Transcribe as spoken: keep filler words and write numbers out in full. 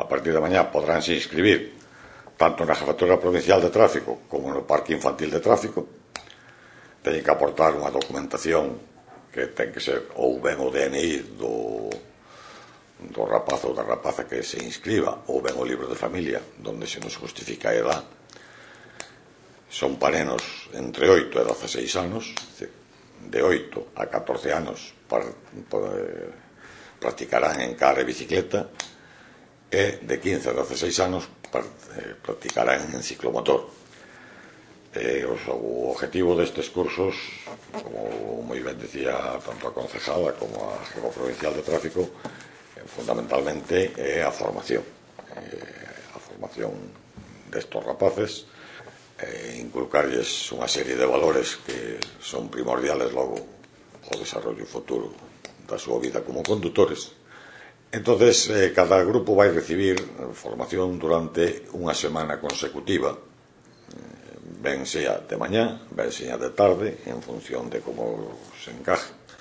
a partir de mañá podránse inscribir tanto na Jefatura Provincial de Tráfico como no Parque Infantil de Tráfico. Teñen que aportar unha documentación que ten que ser ou ben o D N I do, do rapaz ou da rapaza que se inscriba, ou ben o libro de familia, donde se nos justifica a edad. Son parenos entre oito e doceseis anos, de oito a catorce anos practicarán en car e bicicleta, e de quince a doceseis anos practicarán en ciclomotor. O objetivo destes cursos, como moi ben decía tanto a concejala como a Jefa Provincial de Tráfico, fundamentalmente é a formación a formación destos rapaces, inculcarlles unha serie de valores que son primordiales logo ao desarrollo futuro da súa vida como condutores. Entonces, cada grupo vai recibir formación durante unha semana consecutiva, ben sea de mañá, ben sea de tarde, en función de como se encaje.